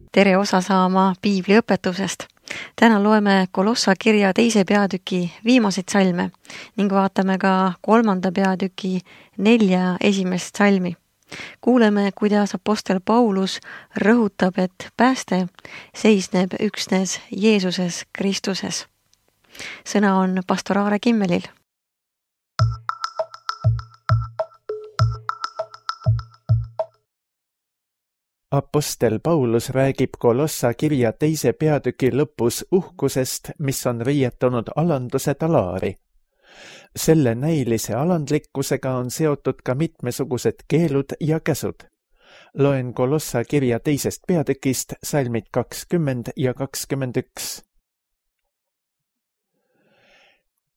Tere osa saama piibliõpetusest. Täna loeme Kolossa kirja 2. peatüki viimaseid salme ning vaatame ka 3. peatüki 4 esimest salmi. Kuuleme, kuidas apostel Paulus rõhutab, et pääste seisneb üksnes Jeesuses Kristuses. Sõna on pastor Aare Kimmelil. Apostel Paulus räägib Kolossa kirja 2. peatüki lõpus uhkusest, mis on riietunud alanduse talaari. Selle näilise alandlikkusega on seotud ka mitmesugused keelud ja käsud. Loen Kolossa kirja 2. peatükist salmid 20 ja 21.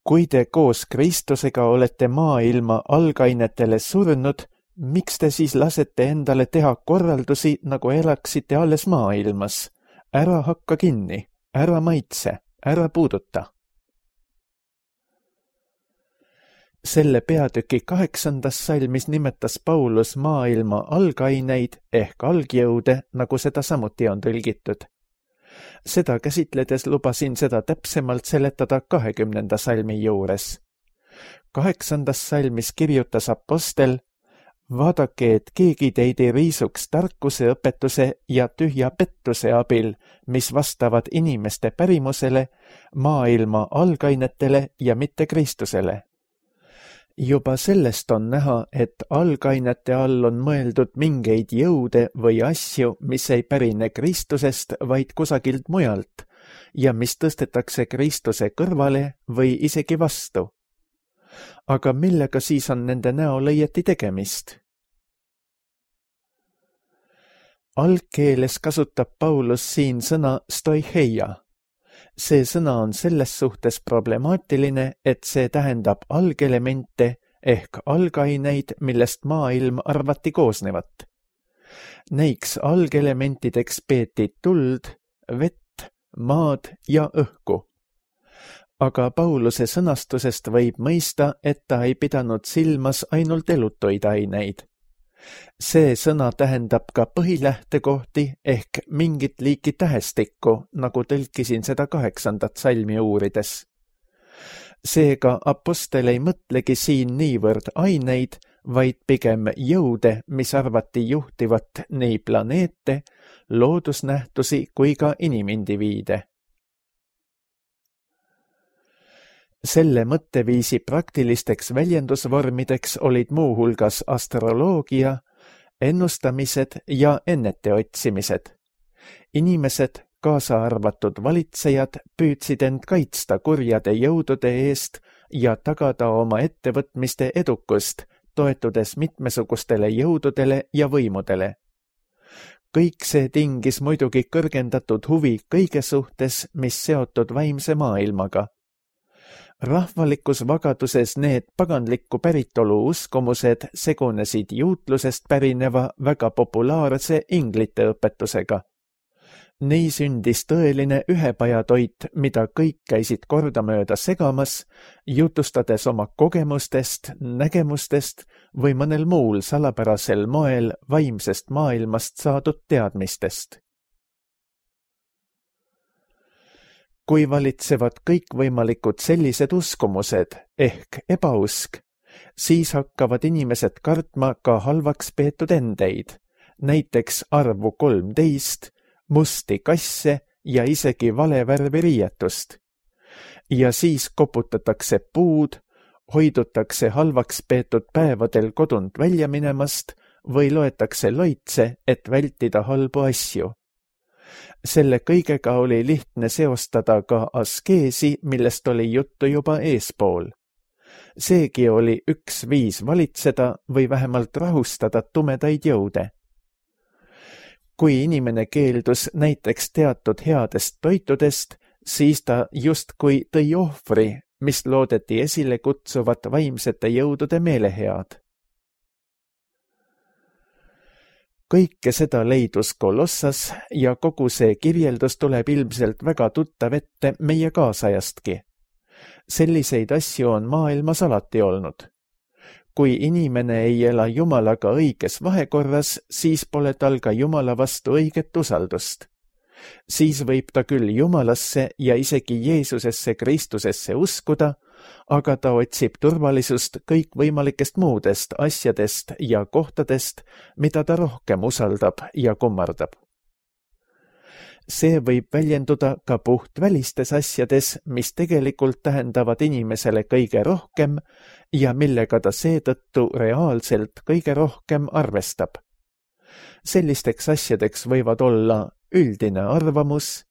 Kui te koos Kristusega olete maailma algainetele surnud, miks te siis lasete endale teha korraldusi, nagu elaksite alles maailmas? Ära hakka kinni, ära maitse, ära puuduta. Selle peatüki 8. salmis nimetas Paulus maailma algaineid ehk algjõude, nagu seda samuti on tõlgitud. Seda käsitledes lubasin seda täpsemalt seletada 20. salmi juures. 8. salmis kirjutas apostel: vaadake, et keegi teid ei riisuks tarkuse õpetuse ja tühja pettuse abil, mis vastavad inimeste pärimusele, maailma algainetele ja mitte Kristusele. Juba sellest on näha, et algainete all on mõeldud mingeid jõude või asju, mis ei pärine Kristusest, vaid kusagilt mujalt ja mis tõstetakse Kristuse kõrvale või isegi vastu. Aga millega siis on nende näol õieti tegemist? Algkeeles kasutab Paulus siin sõna stoicheia. See sõna on selles suhtes problemaatiline, et see tähendab algelemente ehk algaineid, millest maailm arvati koosnevat. Neiks algelementideks peeti tuld, vett, maad ja õhku. Aga Pauluse sõnastusest võib mõista, et ta ei pidanud silmas ainult elutuid aineid. See sõna tähendab ka põhilähtekohti ehk mingit liiki tähestikku, nagu tõlkisin seda 8. salmi uurides. Seega apostel ei mõtlegi siin niivõrd aineid, vaid pigem jõude, mis arvati juhtivat nii planeete, loodusnähtusi kui ka inimindiviide. Selle mõtteviisi praktilisteks väljendusvormideks olid muuhulgas astroloogia, ennustamised ja ennete otsimised. Inimesed, kaasa arvatud valitsejad, püüdsid end kaitsta kurjade jõudude eest ja tagada oma ettevõtmiste edukust, toetudes mitmesugustele jõududele ja võimudele. Kõik see tingis muidugi kõrgendatud huvi kõige suhtes, mis seotud vaimse maailmaga. Rahvalikus vagaduses need paganlikku päritolu uskumused segunesid juutlusest pärineva väga populaarse inglite õpetusega. Nii sündis tõeline ühepajatoit, mida kõik käisid kordamööda segamas, jutustades oma kogemustest, nägemustest või mõnel muul salapärasel moel vaimsest maailmast saadud teadmistest. Kui valitsevad kõikvõimalikud sellised uskumused ehk ebausk, siis hakkavad inimesed kartma ka halvaks peetud endeid, näiteks arvu 13, musti kasse ja isegi valevärvi riietust. Ja siis koputatakse puud, hoidutakse halvaks peetud päevadel kodunt välja minemast või loetakse loitse, et vältida halbu asju. Selle kõigega oli lihtne seostada ka askeesi, millest oli juttu juba eespool. Seegi oli üks viis valitseda või vähemalt rahustada tumedaid jõude. Kui inimene keeldus näiteks teatud headest toitudest, siis ta justkui tõi ohvri, mis loodeti esile kutsuvat vaimsete jõudude meelehead. Kõike seda leidus Kolossas ja kogu see kirjeldus tuleb ilmselt väga tuttav ette meie kaasajastki. Selliseid asju on maailmas alati olnud. Kui inimene ei ela Jumalaga õiges vahekorras, siis pole tal ka Jumala vastu õiget usaldust. Siis võib ta küll Jumalasse ja isegi Jeesusesse Kristusesse uskuda, aga ta otsib turvalisust kõikvõimalikest muudest asjadest ja kohtadest, mida ta rohkem usaldab ja kummardab. See võib väljenduda ka puhtvälistes asjades, mis tegelikult tähendavad inimesele kõige rohkem ja millega ta seetõttu reaalselt kõige rohkem arvestab. Sellisteks asjadeks võivad olla üldine arvamus,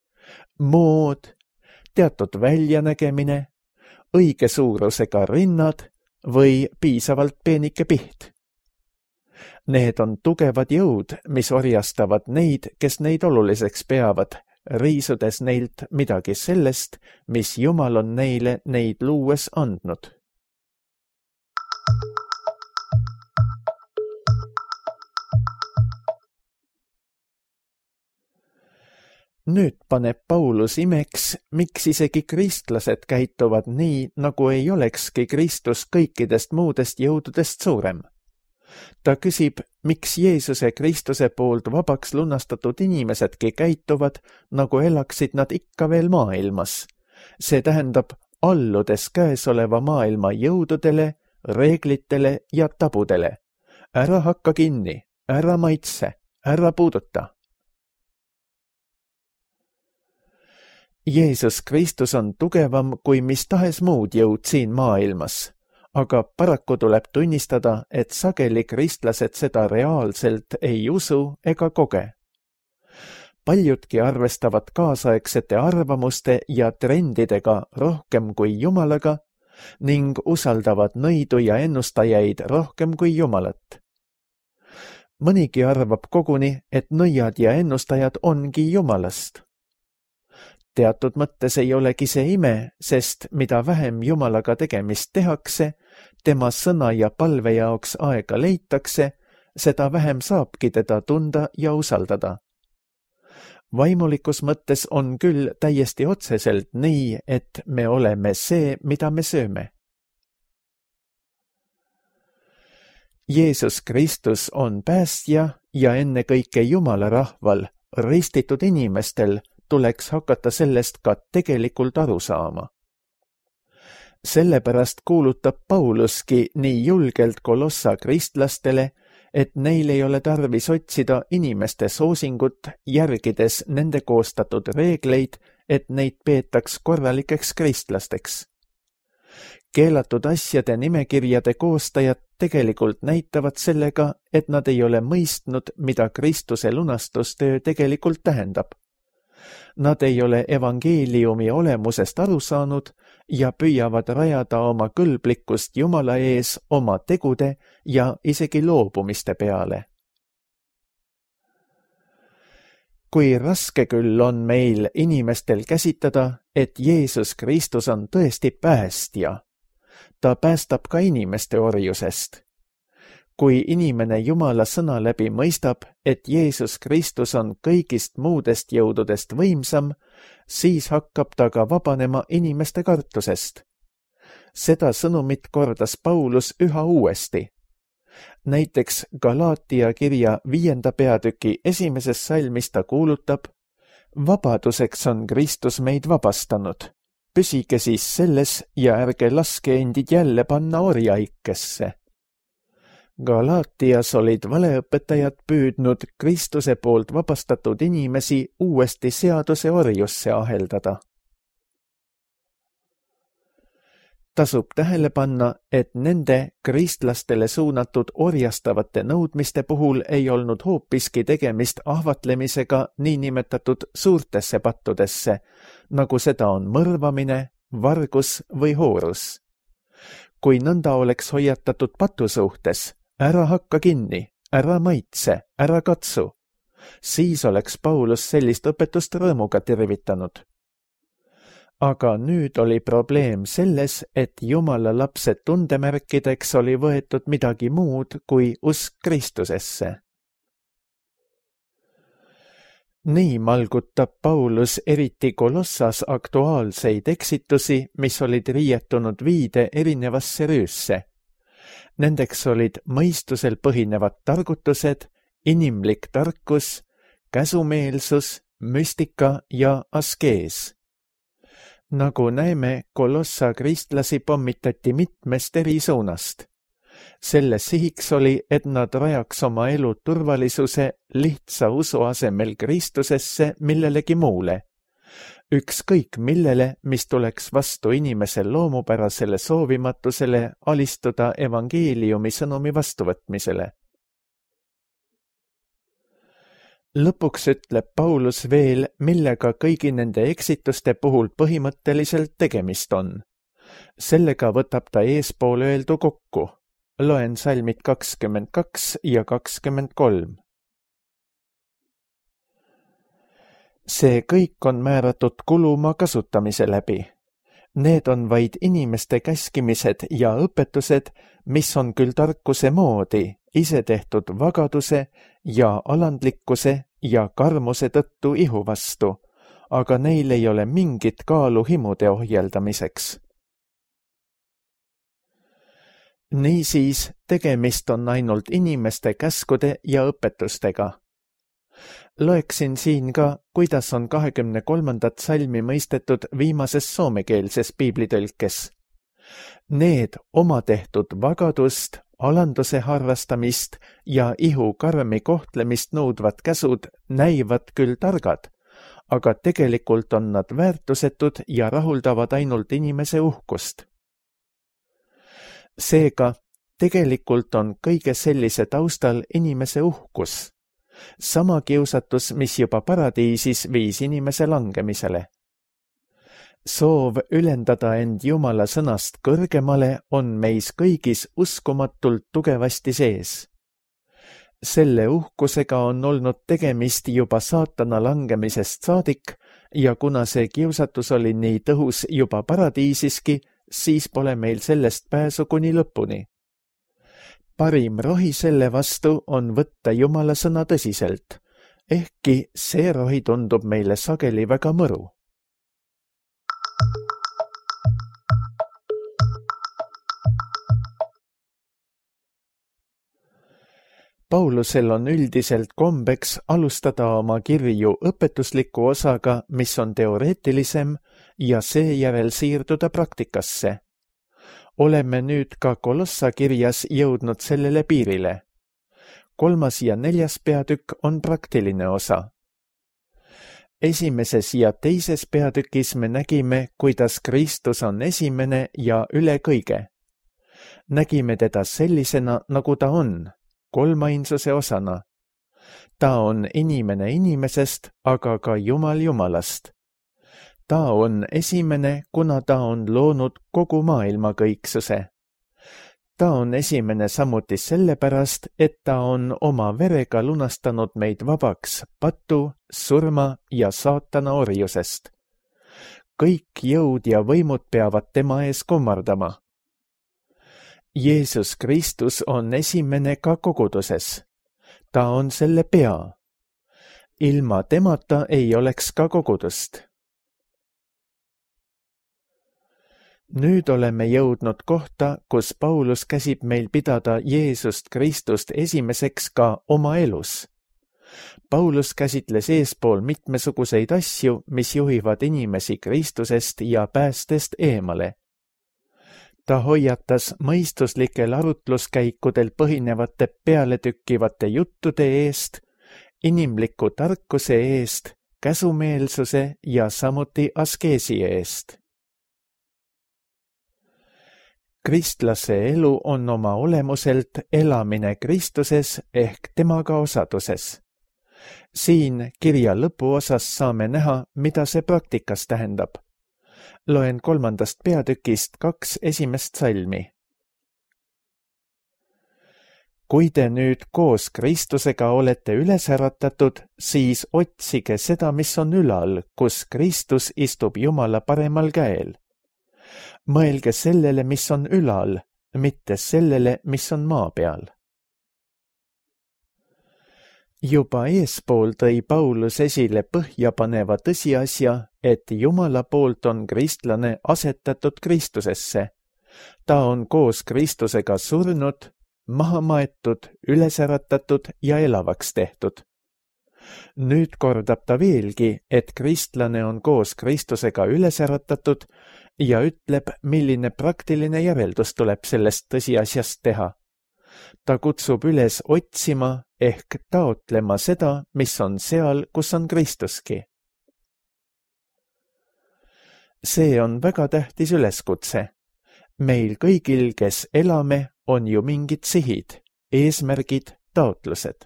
mood, teatud väljanägemine, õige suurusega rinnad või piisavalt peenike piht. Need on tugevad jõud, mis orjastavad neid, kes neid oluliseks peavad, riisudes neilt midagi sellest, mis Jumal on neile neid luues andnud. Nüüd paneb Paulus imeks, miks isegi kristlased käituvad nii, nagu ei olekski Kristus kõikidest muudest jõududest suurem. Ta küsib, miks Jeesuse Kristuse poolt vabaks lunastatud inimesedki käituvad, nagu elaksid nad ikka veel maailmas. See tähendab, alludes käesoleva maailma jõududele, reeglitele ja tabudele. Ära hakka kinni, ära maitse, ära puuduta. Jeesus Kristus on tugevam kui mis tahes muud jõud siin maailmas, aga paraku tuleb tunnistada, et sageli kristlased seda reaalselt ei usu ega koge. Paljudki arvestavad kaasaegsete arvamuste ja trendidega rohkem kui Jumalaga ning usaldavad nõidu ja ennustajaid rohkem kui Jumalat. Mõnigi arvab koguni, et nõiad ja ennustajad ongi Jumalast. Teatud mõttes ei olegi see ime, sest mida vähem Jumalaga tegemist tehakse, tema sõna ja palve jaoks aega leitakse, seda vähem saabki teda tunda ja usaldada. Vaimulikus mõttes on küll täiesti otseselt nii, et me oleme see, mida me sööme. Jeesus Kristus on päästja ja ennekõike Jumala rahval, ristitud inimestel, tuleks hakata sellest ka tegelikult aru saama. Sellepärast kuulutab Pauluski nii julgelt Kolossa kristlastele, et neil ei ole tarvis otsida inimeste soosingut, järgides nende koostatud reegleid, et neid peetaks korralikeks kristlasteks. Keelatud asjade nimekirjade koostajad tegelikult näitavad sellega, et nad ei ole mõistnud, mida Kristuse lunastustöö tegelikult tähendab. Nad ei ole evangeeliumi olemusest aru saanud ja püüavad rajada oma kõlblikkust Jumala ees oma tegude ja isegi loobumiste peale. Kui raske küll on meil inimestel käsitada, et Jeesus Kristus on tõesti päästja. Ta päästab ka inimeste orjusest. Kui inimene Jumala sõna läbi mõistab, et Jeesus Kristus on kõigist muudest jõududest võimsam, siis hakkab ta ka vabanema inimeste kartusest. Seda sõnumit kordas Paulus üha uuesti. Näiteks Galaatia kirja 5. peatüki 1. salmis ta kuulutab: vabaduseks on Kristus meid vabastanud. Püsige siis selles ja ärge laske endid jälle panna orjaikesse. Galaatias olid valeõpetajad püüdnud Kristuse poolt vabastatud inimesi uuesti seaduse orjusse aheldada. Tasub tähele panna, et nende kristlastele suunatud orjastavate nõudmiste puhul ei olnud hoopiski tegemist ahvatlemisega niinimetatud suurtesse pattudesse, nagu seda on mõrvamine, vargus või hoorus. Kui nõnda oleks hoiatatud patu suhtes, ära hakka kinni, ära maitse, ära katsu, siis oleks Paulus sellist õpetust rõõmuga tervitanud. Aga nüüd oli probleem selles, et Jumala lapse tundemärkideks oli võetud midagi muud kui usk Kristusesse. Nii malgutab Paulus eriti Kolossas aktuaalseid eksitusi, mis olid riietunud viide erinevasse rüüsse. Nendeks olid mõistusel põhinevad targutused, inimlik tarkus, käsumeelsus, müstika ja askees. Nagu näeme, Kolossa kristlasi pommitati mitmest eri suunast. Selle sihiks oli, et nad rajaks oma elu turvalisuse lihtsa usu asemel Kristusesse millelegi muule. Ükskõik millele, mis tuleks vastu inimese loomupärasele soovimatusele alistuda evangeeliumi sõnumi vastuvõtmisele. Lõpuks ütleb Paulus veel, millega kõigi nende eksituste puhul põhimõtteliselt tegemist on. Sellega võtab ta eespool öeldu kokku. Loen salmid 22 ja 23. See kõik on määratud kuluma kasutamise läbi. Need on vaid inimeste käskimised ja õpetused, mis on küll tarkuse moodi, isetehtud vagaduse ja alandlikkuse ja karmuse tõttu ihu vastu, aga neil ei ole mingit kaalu himude ohjeldamiseks. Niisiis, tegemist on ainult inimeste käskude ja õpetustega. Loeksin siin ka, kuidas on 23. salmi mõistetud viimases soomekeelses piiblitõlkes. Need oma tehtud vagadust, alanduse harrastamist ja ihu karmi kohtlemist nõudvad käsud näivad küll targad, aga tegelikult on nad väärtusetud ja rahuldavad ainult inimese uhkust. Seega, tegelikult on kõige sellise taustal inimese uhkus. Sama kiusatus, mis juba paradiisis viis inimese langemisele. Soov ülendada end Jumala sõnast kõrgemale on meis kõigis uskumatult tugevasti sees. Selle uhkusega on olnud tegemist juba saatana langemisest saadik ja kuna see kiusatus oli nii tõhus juba paradiisiski, siis pole meil sellest pääsu kuni lõpuni. Parim rohi selle vastu on võtta Jumala sõna tõsiselt, ehkki see rohi tundub meile sageli väga mõru. Paulusel on üldiselt kombeks alustada oma kirju õpetusliku osaga, mis on teoreetilisem, ja seejärel siirduda praktikasse. Oleme nüüd ka Kolossa kirjas jõudnud sellele piirile. 3. ja 4. peatükk on praktiline osa. 1. ja 2. peatükis me nägime, kuidas Kristus on esimene ja üle kõige. Nägime teda sellisena, nagu ta on, kolmainsuse osana. Ta on inimene inimesest, aga ka Jumal Jumalast. Ta on esimene, kuna ta on loonud kogu maailma kõiksuse. Ta on esimene samuti sellepärast, et ta on oma verega lunastanud meid vabaks patu, surma ja saatana orjusest. Kõik jõud ja võimud peavad tema ees kummardama. Jeesus Kristus on esimene ka koguduses. Ta on selle pea. Ilma temata ei oleks ka kogudust. Nüüd oleme jõudnud kohta, kus Paulus käsib meil pidada Jeesust Kristust esimeseks ka oma elus. Paulus käsitles eespool mitmesuguseid asju, mis juhivad inimesi Kristusest ja päästest eemale. Ta hoiatas mõistuslikel arutluskäikudel põhinevate pealetükkivate juttude eest, inimliku tarkuse eest, käsumeelsuse ja samuti askeesi eest. Kristlase elu on oma olemuselt elamine Kristuses ehk temaga osaduses. Siin kirja lõpuosas saame näha, mida see praktikas tähendab. Loen 3. peatükist 2 esimest salmi. Kui te nüüd koos Kristusega olete üles äratatud, siis otsige seda, mis on ülal, kus Kristus istub Jumala paremal käel. Mõelge sellele, mis on ülal, mitte sellele, mis on maa peal. Juba eespool tõi Paulus esile põhjapaneva tõsiasja, et Jumala poolt on kristlane asetatud Kristusesse. Ta on koos Kristusega surnud, maha maetud, üles äratatud ja elavaks tehtud. Nüüd kordab ta veelgi, et kristlane on koos Kristusega üles äratatud ja ütleb, milline praktiline järeldus tuleb sellest tõsiasjast teha. Ta kutsub üles otsima ehk taotlema seda, mis on seal, kus on Kristuski. See on väga tähtis üleskutse. Meil kõigil, kes elame, on ju mingid sihid, eesmärgid, taotlused.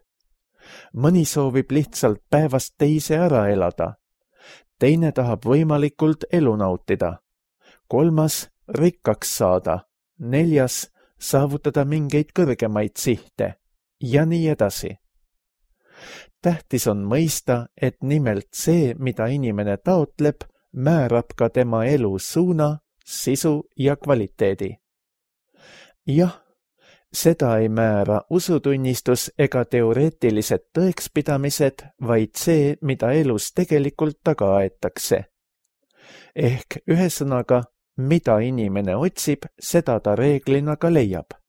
Mõni soovib lihtsalt päevast teise ära elada. Teine tahab võimalikult elu nautida. 3. rikkaks saada. 4. saavutada mingeid kõrgemaid sihte. Ja nii edasi. Tähtis on mõista, et nimelt see, mida inimene taotleb, määrab ka tema elu suuna, sisu ja kvaliteedi. Jah, seda ei määra usutunnistus ega teoreetilised tõekspidamised, vaid see, mida elus tegelikult taga aetakse. Ehk ühesõnaga, mida inimene otsib, seda ta reeglina ka leiab.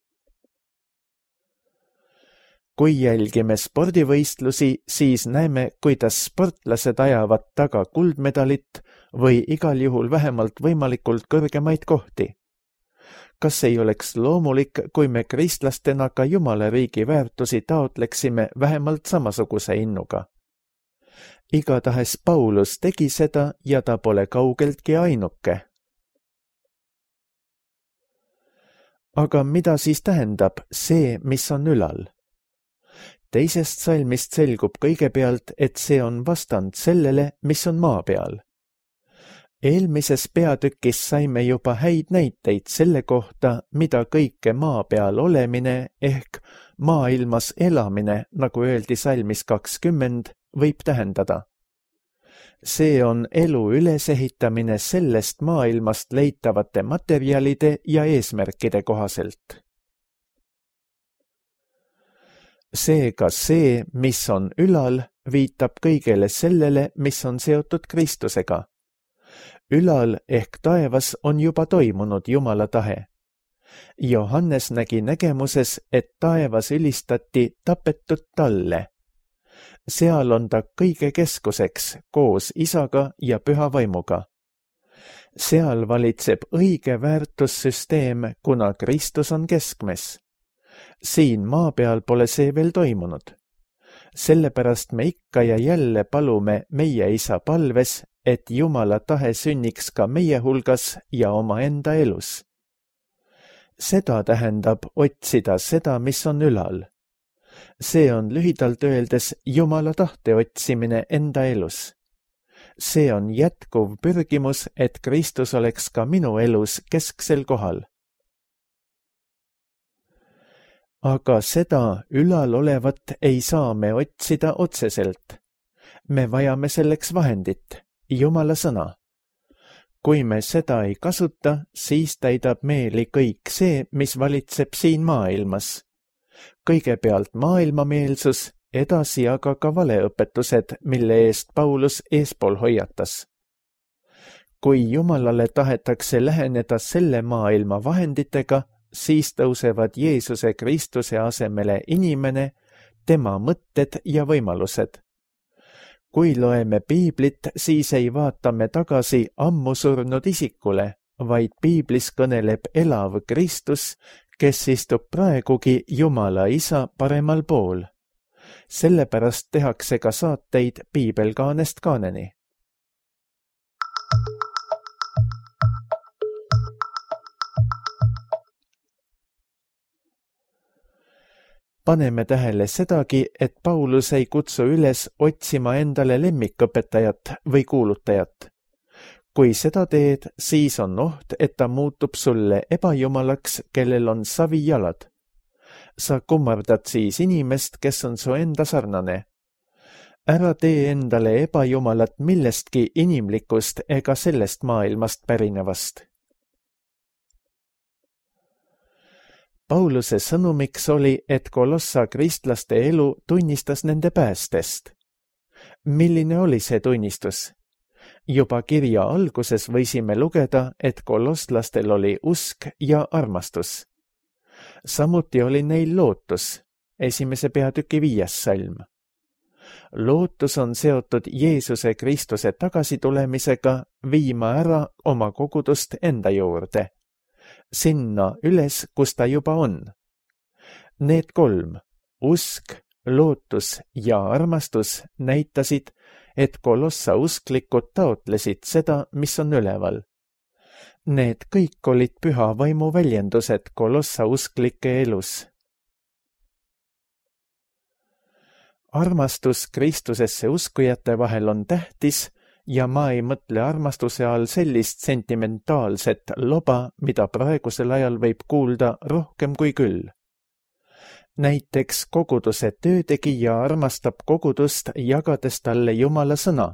Kui jälgime spordivõistlusi, siis näeme, kuidas sportlased ajavad taga kuldmedalit või igal juhul vähemalt võimalikult kõrgemaid kohti. Kas ei oleks loomulik, kui me kristlastena ka Jumala riigi väärtusi taotleksime vähemalt samasuguse innuga? Igatahes Paulus tegi seda ja ta pole kaugeltki ainuke. Aga mida siis tähendab see, mis on ülal? Teisest salmist selgub kõigepealt, et see on vastand sellele, mis on maa peal. Eelmises peatükis saime juba häid näiteid selle kohta, mida kõike maa peal olemine ehk maailmas elamine, nagu öeldi salmis 20, võib tähendada. See on elu ülesehitamine sellest maailmast leitavate materjalide ja eesmärkide kohaselt. Seega see, mis on ülal, viitab kõigele sellele, mis on seotud Kristusega. Ülal ehk taevas on juba toimunud Jumala tahe. Johannes nägi nägemuses, et taevas ülistati tapetud talle. Seal on ta kõige keskuseks koos isaga ja püha vaimuga. Seal valitseb õige väärtussüsteem, kuna Kristus on keskmes. Siin maa peal pole see veel toimunud. Sellepärast me ikka ja jälle palume meie isa palves, et Jumala tahe sünniks ka meie hulgas ja omaenda elus. Seda tähendab otsida seda, mis on ülal. See on lühidalt öeldes Jumala tahte otsimine enda elus. See on jätkuv pürgimus, et Kristus oleks ka minu elus kesksel kohal. Aga seda ülal olevat ei saa me otsida otseselt. Me vajame selleks vahendit, Jumala sõna. Kui me seda ei kasuta, siis täidab meeli kõik see, mis valitseb siin maailmas. Kõigepealt maailmameelsus, edasi aga ka valeõpetused, mille eest Paulus eespool hoiatas. Kui Jumalale tahetakse läheneda selle maailma vahenditega, siis tõusevad Jeesuse Kristuse asemele inimene, tema mõtted ja võimalused. Kui loeme piiblit, siis ei vaata me tagasi ammu surnud isikule, vaid piiblis kõneleb elav Kristus, kes istub praegugi Jumala isa paremal pool. Sellepärast tehakse ka saateid piibelkaanest kaaneni. Paneme tähele sedagi, et Paulus ei kutsu üles otsima endale lemmikõpetajat või kuulutajat. Kui seda teed, siis on oht, et ta muutub sulle ebajumalaks, kellel on savijalad. Sa kummardad siis inimest, kes on su enda sarnane. Ära tee endale ebajumalat millestki inimlikust ega sellest maailmast pärinevast. Pauluse sõnumiks oli, et Kolossa kristlaste elu tunnistas nende päästest. Milline oli see tunnistus? Juba kirja alguses võisime lugeda, et koloslastel oli usk ja armastus. Samuti oli neil lootus, 1. peatüki 5. salm. lootus on seotud Jeesuse Kristuse tagasitulemisega viima ära oma kogudust enda juurde, sinna üles, kus ta juba on. Need 3, usk, lootus ja armastus näitasid, et Kolossa usklikud taotlesid seda, mis on üleval. Need kõik olid püha vaimu väljendused Kolossa usklike elus. Armastus Kristusesse uskujate vahel on tähtis ja ma ei mõtle armastuse all sellist sentimentaalset loba, mida praegusel ajal võib kuulda rohkem kui küll. Näiteks koguduse töötegija armastab kogudust, jagades talle Jumala sõna.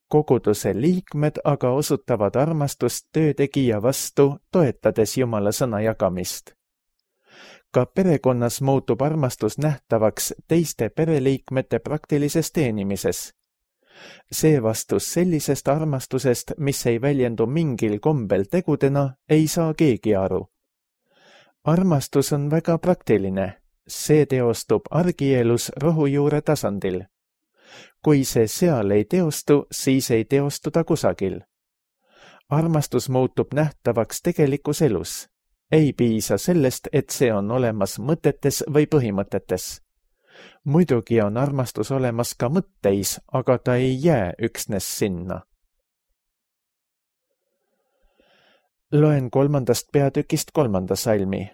Koguduse liikmed aga osutavad armastust töötegija vastu, toetades Jumala sõna jagamist. Ka perekonnas muutub armastus nähtavaks teiste pereliikmete praktilises teenimises. Seevastus sellisest armastusest, mis ei väljendu mingil kombel tegudena, ei saa keegi aru. Armastus on väga praktiline. See teostub argielus rohujuure tasandil. Kui see seal ei teostu, siis ei teostu ta kusagil. Armastus muutub nähtavaks tegelikus elus. Ei piisa sellest, et see on olemas mõtetes või põhimõtetes. Muidugi on armastus olemas ka mõtteis, aga ta ei jää üksnes sinna. Loen 3. peatükist 3. salmi.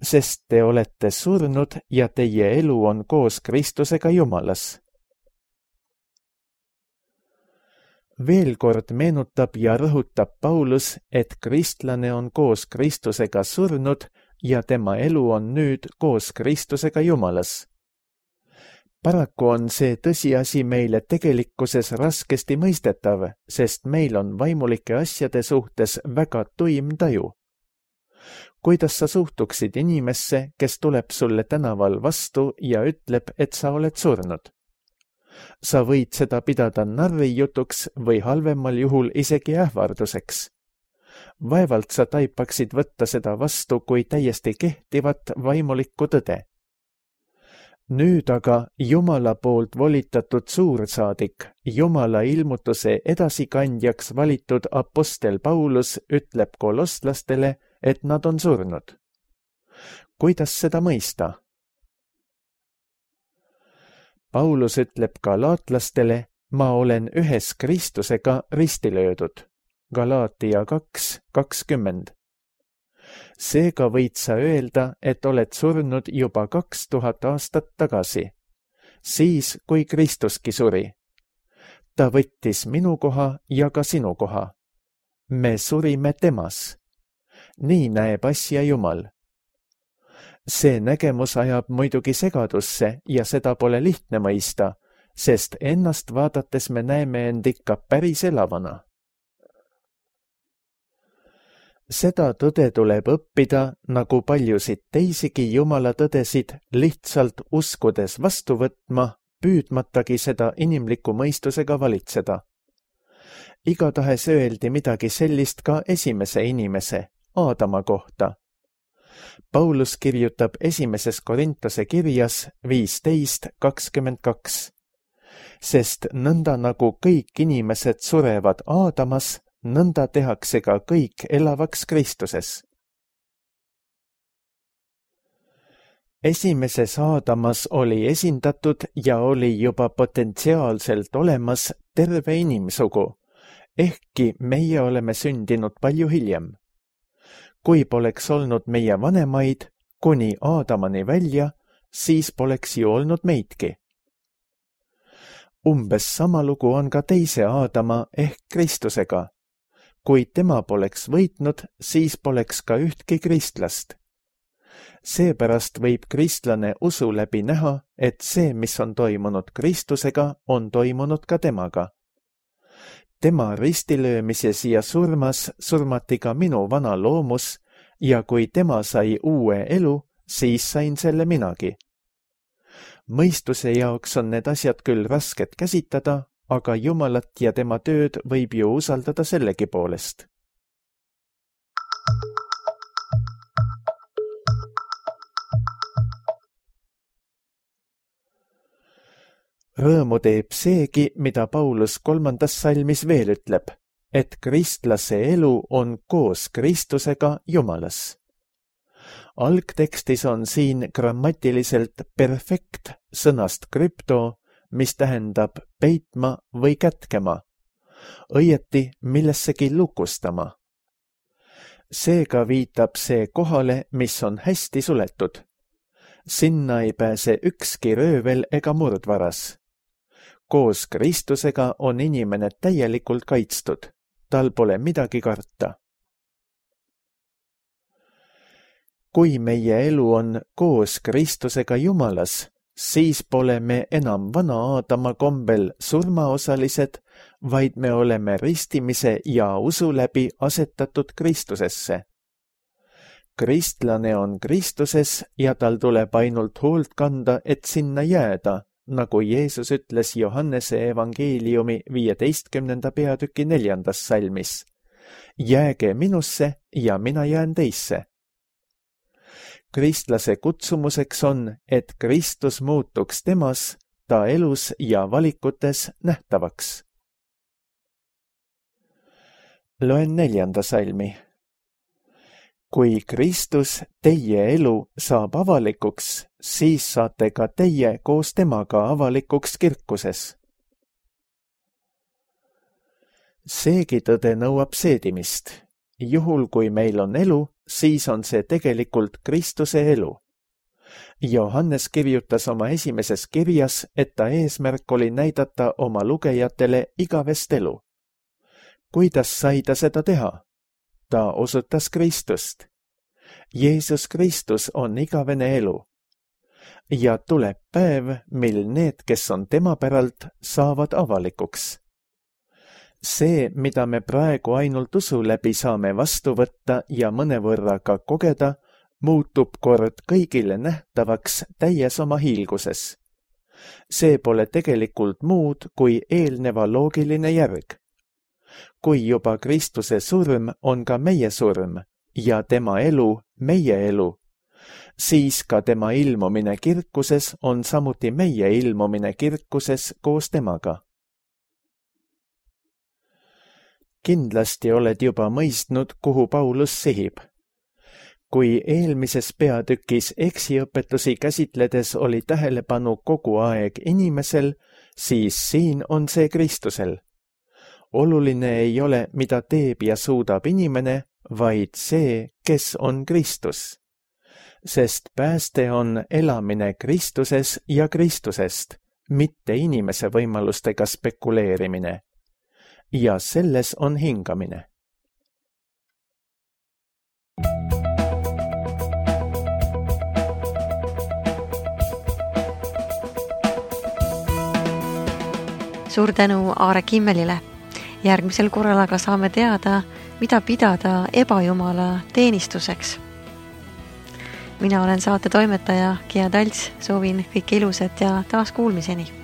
Sest te olete surnud ja teie elu on koos Kristusega Jumalas. Veel kord meenutab ja rõhutab Paulus, et kristlane on koos Kristusega surnud ja tema elu on nüüd koos Kristusega Jumalas. Paraku on see tõsiasi meile tegelikkuses raskesti mõistetav, sest meil on vaimulike asjade suhtes väga tuim taju. Kuidas sa suhtuksid inimesse, kes tuleb sulle tänaval vastu ja ütleb, et sa oled surnud? Sa võid seda pidada narrijutuks või halvemal juhul isegi ähvarduseks. Vaevalt sa taipaksid võtta seda vastu kui täiesti kehtivat vaimulikku tõde. Nüüd aga Jumala poolt volitatud suursaadik, Jumala ilmutuse edasikandjaks valitud apostel Paulus ütleb kolosslastele, et nad on surnud. Kuidas seda mõista? Paulus ütleb galaatlastele, ma olen ühes Kristusega risti löödud. Galaatia 2:20. Seega võid sa öelda, et oled surnud juba 2000 aastat tagasi, siis kui Kristuski suri. Ta võttis minu koha ja ka sinu koha. Me surime temas. Nii näeb asja Jumal. See nägemus ajab muidugi segadusse ja seda pole lihtne mõista, sest ennast vaadates me näeme end ikka päris elavana. Seda tõde tuleb õppida, nagu paljusid teisigi Jumala tõdesid, lihtsalt uskudes vastu võtma, püüdmatagi seda inimliku mõistusega valitseda. Igatahes öeldi midagi sellist ka esimese inimese, Aadama kohta. Paulus kirjutab 1. Korintuse kirjas 15:22. Sest nõnda nagu kõik inimesed surevad Aadamas, nõnda tehakse ka kõik elavaks Kristuses. Esimeses Aadamas oli esindatud ja oli juba potentsiaalselt olemas terve inimsugu, ehkki meie oleme sündinud palju hiljem. Kui poleks olnud meie vanemaid kuni Aadamani välja, siis poleks ju olnud meidki. Umbes sama lugu on ka teise Aadama ehk Kristusega. Kui tema poleks võitnud, siis poleks ka ühtki kristlast. Seepärast võib kristlane usu läbi näha, et see, mis on toimunud Kristusega, on toimunud ka temaga. Tema ristilöömises ja surmas surmati ka minu vana loomus ja kui tema sai uue elu, siis sain selle minagi. Mõistuse jaoks on need asjad küll rasked käsitada, aga Jumalat ja tema tööd võib ju usaldada sellegi poolest. Rõõmu teeb seegi, mida Paulus 3. salmis veel ütleb, et kristlase elu on koos Kristusega Jumalas. Algtekstis on siin grammatiliselt perfekt sõnast krypto, mis tähendab peitma või kätkema, õieti millessegi lukustama. Seega viitab see kohale, mis on hästi suletud. Sinna ei pääse ükski röövel ega murdvaras. Koos Kristusega on inimene täielikult kaitstud, tal pole midagi karta. Kui meie elu on koos Kristusega Jumalas, siis pole me enam vana Aadama kombel surmaosalised, vaid me oleme ristimise ja usu läbi asetatud Kristusesse. Kristlane on Kristuses ja tal tuleb ainult hoolt kanda, et sinna jääda, nagu Jeesus ütles Johannese evangeeliumi 15. peatüki 4. salmis. Jääge minusse ja mina jään teisse. Kristlase kutsumuseks on, et Kristus muutuks temas, ta elus ja valikutes nähtavaks. Loen 4. salmi. Kui Kristus teie elu saab avalikuks, siis saate ka teie koos temaga avalikuks kirkuses. Seegi tõde nõuab seedimist. Juhul, kui meil on elu, siis on see tegelikult Kristuse elu. Johannes kirjutas oma esimeses kirjas, et ta eesmärk oli näidata oma lugejatele igavest elu. Kuidas sai ta seda teha? Ta osutas Kristust. Jeesus Kristus on igavene elu. Ja tuleb päev, mil need, kes on tema päralt, saavad avalikuks. See, mida me praegu ainult usu läbi saame vastu võtta ja mõnevõrra ka kogeda, muutub kord kõigile nähtavaks täies oma hiilguses. See pole tegelikult muud kui eelneva loogiline järg. Kui juba Kristuse surm on ka meie surm ja tema elu meie elu, siis ka tema ilmumine kirkuses on samuti meie ilmumine kirkuses koos temaga. Kindlasti oled juba mõistnud, kuhu Paulus sihib. Kui eelmises peatükis eksiõpetusi käsitledes oli tähelepanu kogu aeg inimesel, siis siin on see Kristusel. Oluline ei ole, mida teeb ja suudab inimene, vaid see, kes on Kristus. Sest pääste on elamine Kristuses ja Kristusest, mitte inimese võimalustega spekuleerimine. Ja selles on hingamine. Suur tänu Aare Kimmelile. Järgmisel korral aga saame teada, mida pidada ebajumala teenistuseks. Mina olen saate toimetaja Kia Talts, soovin kõike ilusat ja taas kuulmiseni.